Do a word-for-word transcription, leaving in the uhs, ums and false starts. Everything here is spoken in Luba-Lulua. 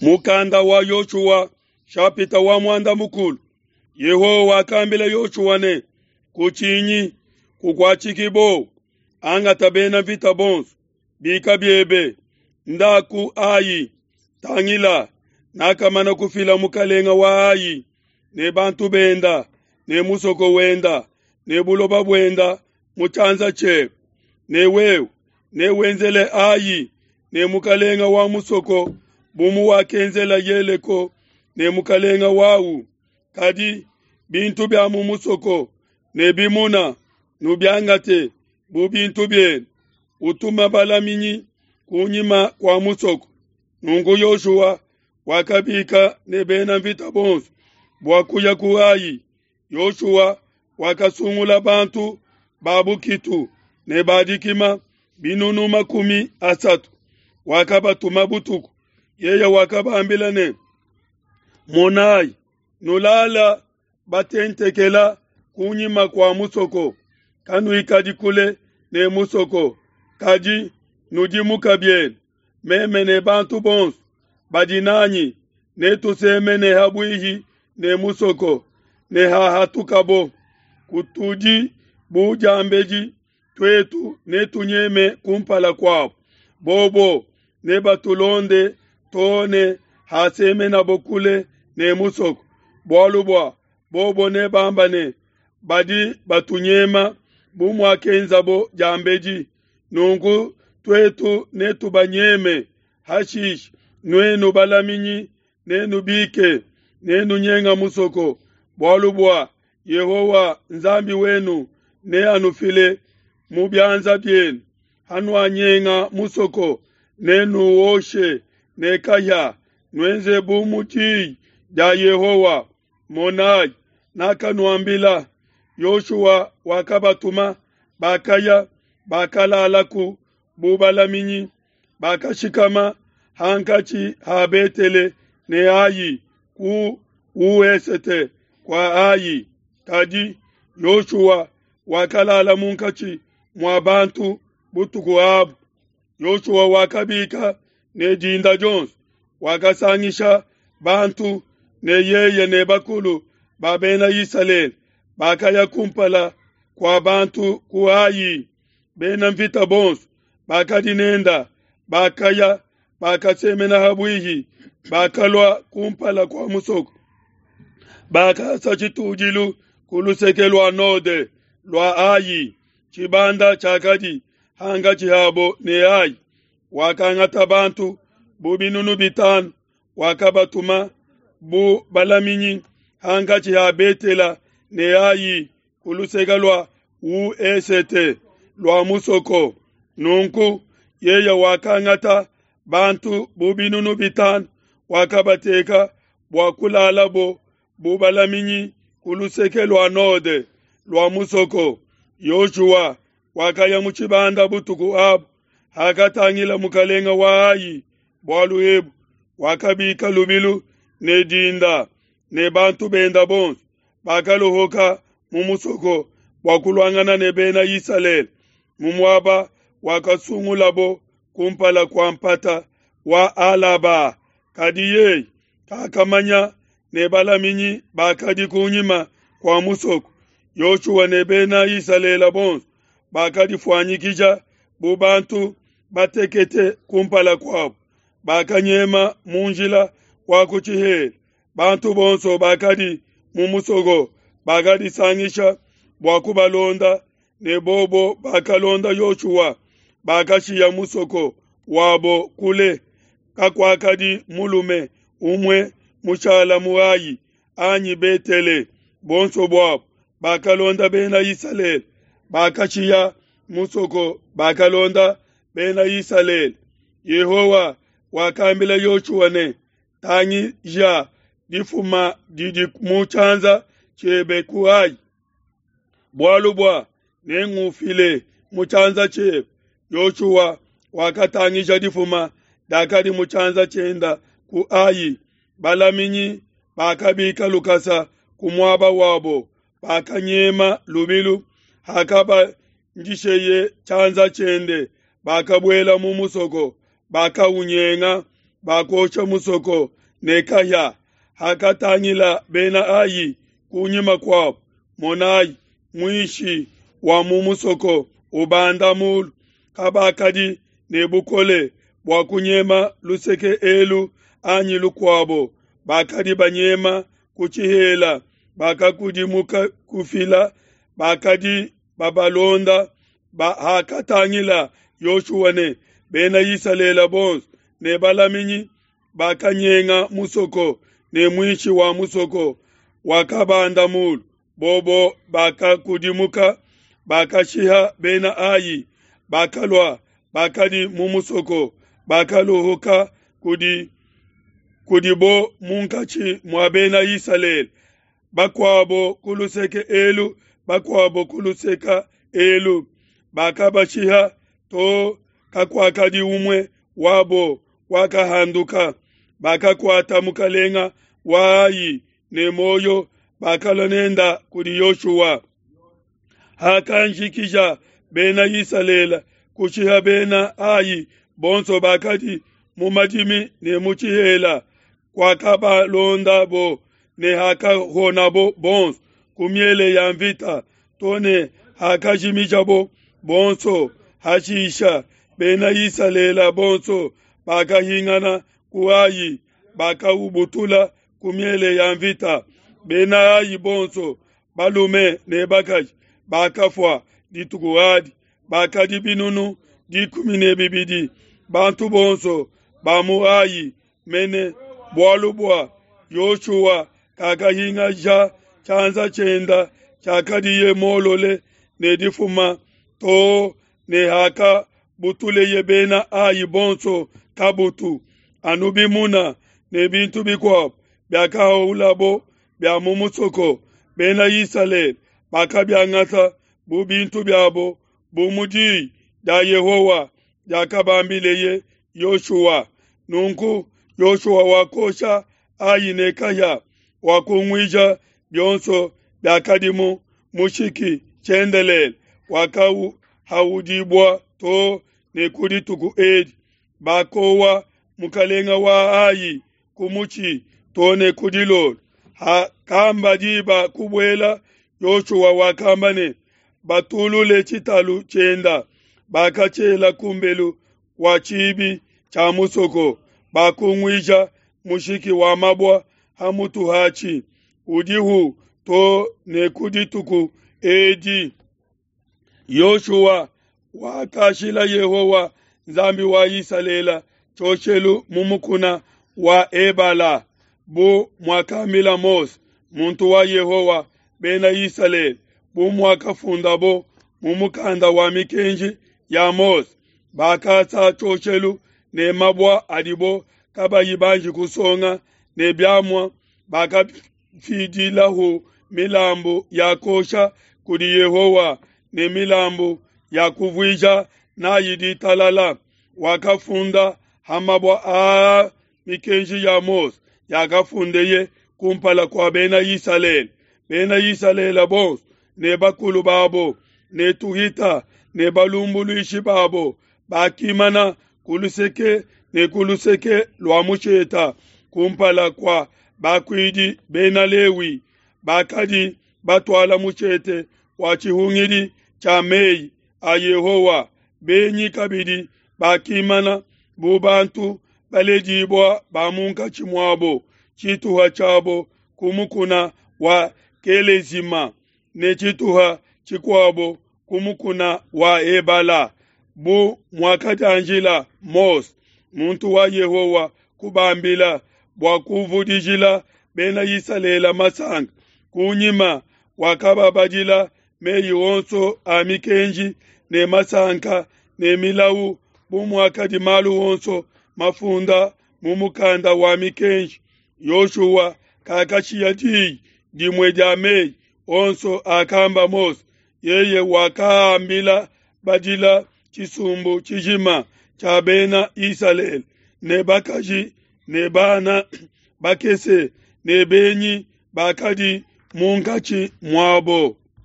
Mukanda wa Yoshua shapita wa muanda mukulu. Yehowa wakambila Yoshua ne, kutshinyi, kukuatshiki buowa, angata bena mvita bonso, bika biebe, nda ku Ai. Tangila, nakamana kufila mukalenga wa Ai ne bantu benda ne musoko wenda ne buloba buenda mu tshianza tshiebe. Ne wewe newenzele Ai ne mukalenga wa musoko bu muwakenzela Yeleko ne mukalenga wawu. Kadi bintu bia mu musoko ne bimuna nubiangate bu bintu bienu. Utuma balaminyi kunyima kua musoko. Nunku Yoshua wakabika ne bena mvita bonso bua kuya ku Ai. Yoshua wakasungula bantu ba bukitu ne ba dikima binunu makumi asatu, wakabatuma butuku. Yeye wakabambila ne, monayi, nulala batentekela kunyima kua musoko, kanuikadi kule ne musoko, kadi nudimuka bienu. Meme ne bantu bonso badi nanyi netusemene habuihi ne musoko, ne hahatukabo kutudi bu diambedi, tuetu netunyeme kumpala kuabo, bobo nebatulonde too ne hasemenabo kule ne musoko, bualu bua bobo nebamba ne, badi batunyema bu muakenzabo diambedi. Nunku tuetu netubanyeme. Hashishe nuenu balaminyi nenubike, nenunyenga musoko, bualu bua Yehowa Nzambi wenu neanufile mu bianza bienu. Hanuanyenga musoko, nenuoshe ne kahia, nuenze bu mu diyi dia Yehowa. Monai, nakanuambila. Yoshua wakabatuma, bakaya, bakalalaku bu balaminyi, bakashikama hankatshi ha Betele ne Ai ku uesete kua Ai. Kadi Yoshua wakalala munkatshi mua bantu butuku abu. Yoshua wakabika ne dinda dionso, wakasangisha bantu ne yeye ne bakulu ba bena Isalele, bakaya kumpala kua bantu ku Ai. Bena mvita bonso bakadi nenda bakaya, bakasemena habuihi, bakalua kumpala kua musoko, bakasa tshitudilu ku luseke lua node lua Ai. Tshibanda tshiakadi hankatshi habo ne Ai. Wakangata bantu bu binunu bitanu, wakabatuma bu balaminyi hankatshi ha Betela ne Ai ku luseke lua uesete lua musoko. Nunku yeye wakangata bantu bu binunu bitanu, wakabateka bua kulalabo bu balaminyi ku luseke lua node lua musoko. Yoshua wakaya mu tshibanda butuku abu. Hakatangila mukalenga wa Ai bualu ebu, wakabika lubilu ne dinda ne bantu benda bonso, bakalohoka mu musoko bua kuluangana ne bena Isalele mu muaba wakasungulabo kumpala kua mpata wa Alaba. Kadi yeye kakamanya ne balaminyi bakadi kunyima kua musoko. Yoshua ne bena Isalele bonso bakadifuanyikija bu bantu batekete kumpala kuabo, bakanyema mu njila wa ku tshihela. Bantu bonso bakadi mu musoko bakadisangisha bua kubalonda, ne bobo bakalonda Yoshua, bakashiya musoko wabo kule. Kakuakadi mulume umue mushala mu Ai anyi Betele, bonso buabo bakalonda bena Isalele, bakashiya musoko, bakalonda bena Isalele. Yehowa wakambila Yoshua ne, tangija difuma didi mu tshianza tshiebe ku Ai, bualu bua nengufile mu tshianza tshiebe. Yoshua wakatangija difuma diakadi mu tshianza tshienda ku Ai. Balaminyi bakabika lukasa ku muaba wabo, bakanyema lubilu. Hakabandisheye tshianza tshiende, bakabuela mu musoko, bakaunyenga. bakosha musoko ne kahia. Hakatangila Bena Ai kunyima kuabo, monai, muishi wa mu musoko ubanda mulu, kabakadi ne bukole bua kunyema luseke elu anyi lukuabo, bakadi banyema ku tshihela, bakakudimuka kufila, bakadi babalonda. Ba, hakatangila Yoshua ne Bena Isalele bonso ne balaminyi bakanyenga musoko ne muishi wa musoko wakabanda mulu, bobo bakakudimuka, bakashiha Bena Ai, bakalua bakadi mu musoko, bakaluhuka kudi kudibo munkatshi mua Bena Isalele, bakuabo ku luseke elu, bakuabo ku luseke elu, bakabashiha to kakuakadi umue wabo wakahanduka. Bakakuata mukalenga wa Ai ne muoyo, bakalua nenda kudi Yoshua. Hakanjikija Bena Isalele kushiha Bena Ai bonso bakadi mu madimi ne mu tshihela, kwakabalondabo ne hakahonabo bonso ku miele ya mvita, to ne hakajimijabo bonso. Hashisha Bena Isalele bonso bakahingana ku Ai, bakaubutula ku miele ya mvita. Bena Ai bonso balume ne bakaji bakafua dituku adi, bakadi binunu dikumi ne bibidi. Bantu bonso ba mu Ai mene, bualu bua Yoshua kakahingaja tshianza tshienda tshiakadiye molole ne difuma to ne hakabutuleye Bena Ai bonso kabutu. Anu bimuna ne bintu bikuabo biakahaulabo bia mu musoko, Bena Isalele bakabiangata bu bintu biabo, bu mu diyi dia Yehowa diakabambileye Yoshua. Nunku Yoshua wakosha Ai ne kahia, wakunguija bionso biakadimu mushiki tshiendelele, wakahaudibua to ne ku dituku edi. Bakowa mukalenga wa Ai ku mutshi to ne ku dilolo. Hakamba diba kubuela, Yoshua wakamba ne, batulule tshitalu tshienda. Bakatshiela kumbelu wa tshibi tshia musoko, bakunguija mushiki wa mabua ha mutu hatshi, udihu to ne ku dituku edi. Yoshua wakashila Yehowa Nzambi wa Isalele tshioshelu mu mukuna wa Ebala, bu muakambila Mose muntu wa Yehowa Bena Isalele, bu muakafundabo mu mukanda wa mikenji ya Mose. Bakasa tshioshelu ne mabua adibo kabayi banji kusonga ne biamua, bakafidilahu milambu ya kosha kudi Yehowa ne milambu ya kuvuija nayi ditalala. Wakafunda ha mabua aa mikenji ya Mose yakafundeye kumpala kua Bena Isalele. Bena Isalele bonso ne bakulu babo ne tuhita ne balumbuluishi babo bakimana ku luseke ne ku luseke lua musheta kumpala kua bakuidi Bena Lewi bakadi batuala mushete wa tshihungidi tshia meyi a Yehowa. Benyi kabidi bakimana bu bantu baledibua ba munkatshi muabo, tshituha tshiabo ku mukuna wa Kelezima ne tshituha tshikuabo ku mukuna wa Ebala, bu muakadianjila Mose muntu wa Yehowa kubambila bua kuvudijila Bena Isalele masanka. Kunyima wakababadila meyi onso a mikenji ne masanka ne milawu, bu muakadi malu onso mafunda mu mukanda wa mikenji. Yoshua kakashiya diyi dimue dia meyi onso akamba Mose, yeye wakaambila badila tshisumbu tshijima tshia Bena Isalele ne bakaji ne bana bakese ne benyi bakadi munkatshi muabo.